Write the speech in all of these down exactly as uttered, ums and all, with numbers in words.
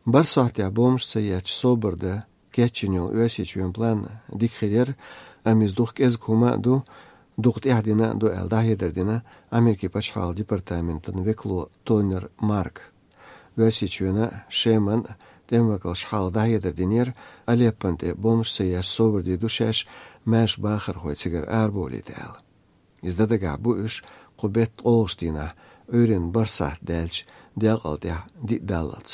БархӀ сахьтехь бомбаш ца етташ собар дан кечйина йолу Оьрсийчоьнан план дика хир яра, амма иза дукха кӀезиг хӀума а ду, дукха тӀаьхьа дина а ду аьлла, дӀахьедар дина Америкин пачхьалкхан департаментан векало Тонер Марк. Оьрсийчоьнан, Шеман тӀеман векалша хьалха дӀахьедар динера, Алеппон тӀе бомбаш ца етташ собар дийр ду шаьш, маьрша бахархой цигара арабовлийта аьлла. Иза дан дагахь бу уьш кху беттан ткъолгӀачу дийнахь, Ӏуьйранна бархӀ сахьт даьлча, делкъал тӀехь диъ даллалц.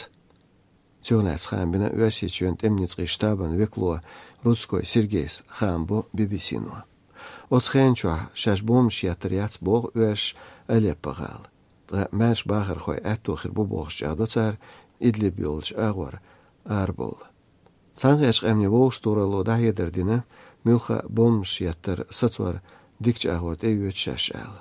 Цунах лаьцна хаам бина Оьрсийчоьнан тӀеман ницкъийн штабан векало Рудской Сергейс, хаам бо Би-Би-Си-но. Оцу хенан чохь шаьш бомбаш еттар яц боху оьрсаша Алеппо-гӀала. Ткъа маьрша бахархойн аьтто хир бу бохуш чӀагӀдо цара Идлиб йолчу агӀор арабовла. Цхьаьнакхеттачу къаьмнийн вовшахтохаралло дӀахьедар дина, муьлхха а бомбаш еттар сацор дикачу агӀор тӀеоьцу шаьш аьлла.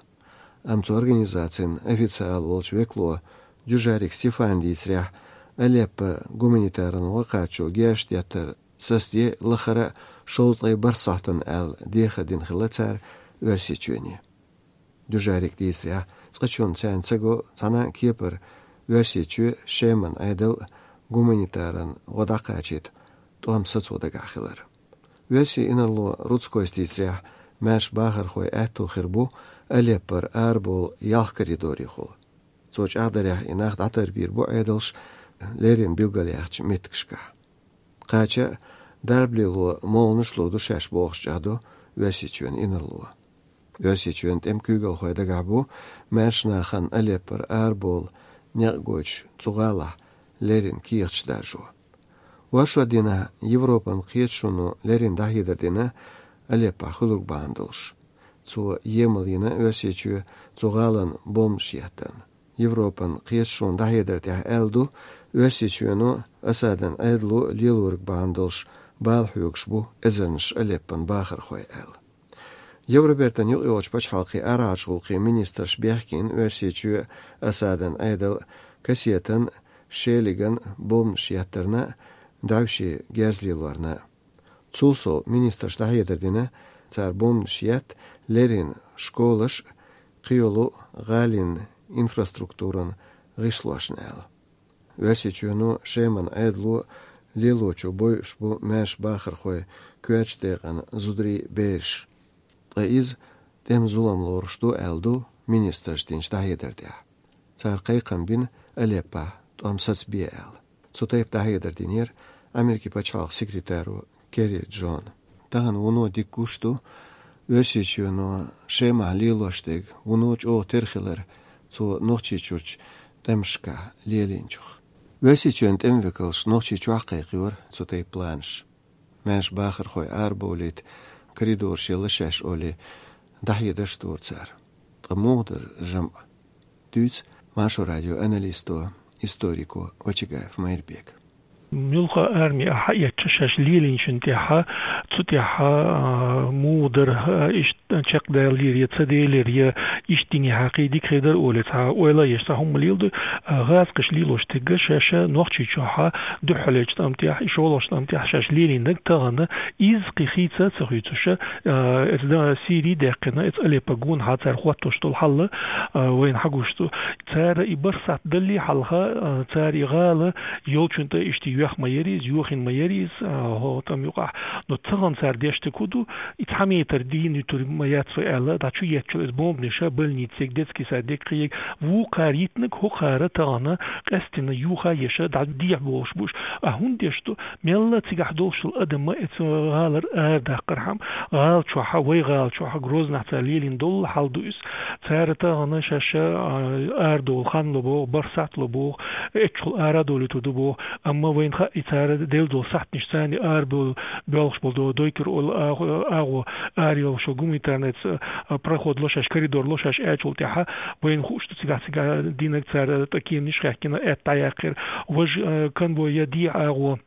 Амма цу организацин официал волчу векало Дюжарик Стефана дийцарехь, Алеппо гуманитаран гӀо кхачо герзаш деттар сацаде лахара а шовзткъе бархӀ сахьтана аьлла дехар дина хилла цара Оьрсийчоьне. Дюжарика дийцарехь, цкъачунна царна ца го цхьана а кепара Оьрсийчоь, Шеман Ӏедал гуманитаран гӀо дӀакхачийта тӀом сацо дагахь хилар. Оьрсийн инарло Рудскойс дийцарехь, маьрша бахархойн аьтто хир бу Алеппора арабовла ялх коридорехула. Цо чӀагӀдарехь, и нах дӀатарбийр бу Ӏедалша леррина билгалъяьхначу меттигашкахь. Кхача а дарба лело молханаш лур ду шаьш бохуш чӀагӀдо Оьрсийчоьнан инарло. Оьрсийчоьнан тӀеман куьйгалхой дагахь бу маьрша нахана Алеппора арабовла некъ гойтуш цу гӀалахь леррина кехаташ даржо. Оршот дийнахь Европан кхеташоно леррина дӀахьедар дина Алеппохь хуьлург бахьана долуш. Цо емал йина Оьрсийчоь цу гӀалина бомбаш еттарна. Европан кхеташонан дӀахьедар тӀехь аьлла ду, Оьрсийчоьно, Асадан Ӏедало лелориг бахьана долуш бала хьоьгуш бу эзарнаш Алеппон бахархой аьлла. Евробертан юкъайогӀучу пачхьалкхийн арахьарчу гӀуллакхийн министрша бехке йина Оьрсийчоь, Асадан Ӏедал кассетан, шелиган бомбаш еттарна а, дӀаьвше герз лелорна а. Цул сов министрша дӀахьедар дина, цара бомбанаш етта леррина школаш а, кхийолу гӀалин инфраструктуран гӀишлошна аьлла. Оьрсийчоьно, Шеман Ӏедало лелочо бойуш бу маьрша бахархой, коьртачу декъана зударий, бераш. Ткъа иза тӀеман зулам лоруш ду аьлла ду министрша динчу дӀахьедар тӀехь. Цара кхайкхам бина Алеппохь тӀом сацабе аьлла. Цу тайпа дӀахьедар динера Америкин пачхьалкхан секретаро Керри Джона. Тахана вуно дика гуш ду Оьрсийчоьно Шемахь лелош дерг, вуно чӀогӀа тера хилар цо Нохчийчуьрчу тӀемашкахь лелийначух. Оьрсийчоьнан тӀеман векалш Нохчийчохь кхайкхайора цу тайпа планаш. Маьрша бахархой арабовлийта коридораш елла шаьш олий, дӀахьедарш дора цара. Ткъа муха дара жамӀ? Дуьйцу Маршо радион аналисто, историко Очагаев Майрбека. Муьлхха арми а хьаэцча шаьш лелийначун тӀехьа, цу тӀехьа, а, муха дара, а, иштта чекхдаьллера я ца делира, я иштта динехьа кхин дика хир дара олий, цхьа ойла еш цхьа хӀума леладо, а, гӀазкхаша лелош дерг шаьш Нохчийчохь дуьххьарлечу тӀам тӀехь, и шолгӀачу тӀам тӀехь шаьш лелийнарг тахана иза кхин хийца а ца хуьйцуш, а, эца да-, Сири даьккхина, эца Алеппо гонахьа цара хӀоттош долу хьал, а, вайна хьагуш ду. Цара и бархӀ сахьт даллий хьалха, а, цара и гӀала йолчун тӀе иштта йоьхна ма яра иза, йохийна ма яра иза, а, хӀо тӀам юкъахь. Но тахана цара деш дерг хӀун ду, и цхьа метр дийна юьтур ма яц вай аьлла, дӀа чу еттачул иза бомбанаш а, больница ерг, детский сад ерг, кхин ерг, вукхара йитинарг хӀокхара тахана къаьстина юха еш а, дӀа дехьа бохуш бу уьш. А хӀунда деш ду, мелла цигахь долуш долу адам ма эца гӀалара арадаккхархьама, гӀала чохь, вай гӀала чохь, Грознахь цара лелийна долу хьал ду иза. Цара тахана шаьш, а, арадовла хан ло боху, бархӀ сахьт ло боху, эццахула арадовлуьйтур ду боху, амма вайна хаьа, и цара делла долу сахьташ, царна арабовла боьлхуш болу до-, дойтур олу агӀо, агӀо арайолуш гуманитарный ц-, а, проход ло шаьш, коридор ло шаьш аьллачул тӀаьхьа, вайна хууш ду цигахь, цигахь динарг цара тӀе кеманаш хаьхкина, аьтта дӀаяьккхира. Важа, а, конвой я дехьа агӀо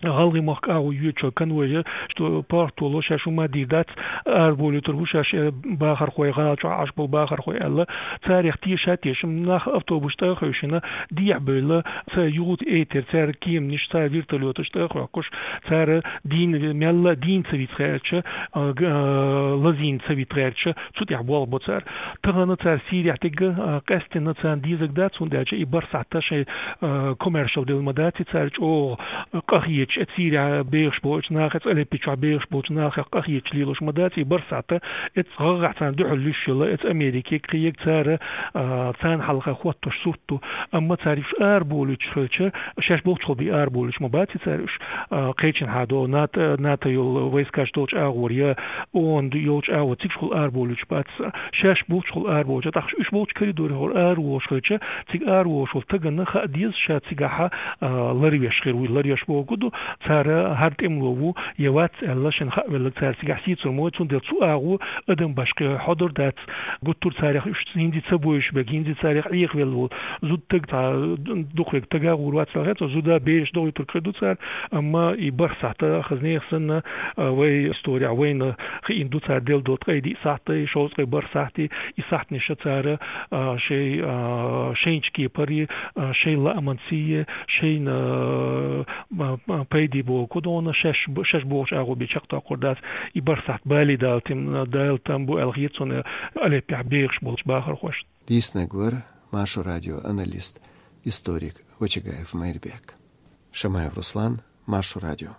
ГӀалгӀай мохк агӀо йоацаш конвой, что парт волу шаьш хӀума дийр дац, арабовлуьйтур бу шаьш, э, бахархой, гӀала чохь Ӏаш болу бахархой аьлла, царех теша а тешаш, нах автобус тӀе а хевшина, дехьабевлла, цара юха а эйтира, цара кеманаш, цара вертолёташ тӀе а хьоькхуш, цара дийна, мелла а дийна ца вита гӀерташ, а, г-, а, лазийна ца вита гӀерташ, цу тӀехь болх бо цара. Тахана цара Сирехь дерг, а, къаьстина царна дезарг дац, хӀунда аьлча и бархӀ сахьт шайн, а, коммершал делла ма дац, и цара чӀогӀа къахеташ, оцу Сирехь бехаш болчу нахах, оцу Алеппо чохь бехаш болчу нахах къахеташ лелош ма дац, и бархӀ сахьт оцу гӀагӀгӀа царна дуьхьал луьйш йолу, оцу Америкега, кхин ерг цара, а, царна хьалха хоттуш сурт ду. Амма цара уьш арабовлуьйтуш хилча, шаьш болчухула бен арабовлуьйтуш ма бац и цара уьш, а, кхечанхьа долу НАТО, НАТО йолу войскаш долчу агӀор я ООН йолчу агӀор, цигахула арабовлуьйтуш бац. Шаьш болчухула арабовлуьйтуш, тӀаккха уьш болчу коридорехула араволуш хилча, цига араволуш волу стагана хаа деза ша цигахьа, а, ларвеш хир ву. Ларвеш бохург ду, цара хӀара тӀемало ву я вац аьлла, шена хаа велларг цара цигахь сийцур ма ву, цундела цу агӀор адам башха хьодур дац. Гуттар а царех уьш хӀинца ца бовзуш берг, хӀинца царех Ӏехавелла волу зуда стаг, цхьа дукхаве стага гӀур вац аьлла хета, зуда, бераш дохуьйтург хир ду цара, амма и бархӀ сахьт, хаза нехан санна, а, вай исторехь вайна хиъна ду цара делла долу ткъе диъ сахьт, и шовзткъе бархӀ сахьт, и сахьтанаш цара, а, шайн, а, шайна чу кепара, а, шайн лааман сий, шайна, а, а, а, пайде бохург ду, шаьш б-, шаьш бохучу агӀор бен чекхдоккхур дац, и бархӀ сахьт бале Дала тем-, Дала там бу аьлла хета суна Алеппехь бехаш болчу бахархошна. Дийцинарг вара Маршо радион аналист, историк Вачагаев Майрбек. Шамаев Руслан, Маршо радио.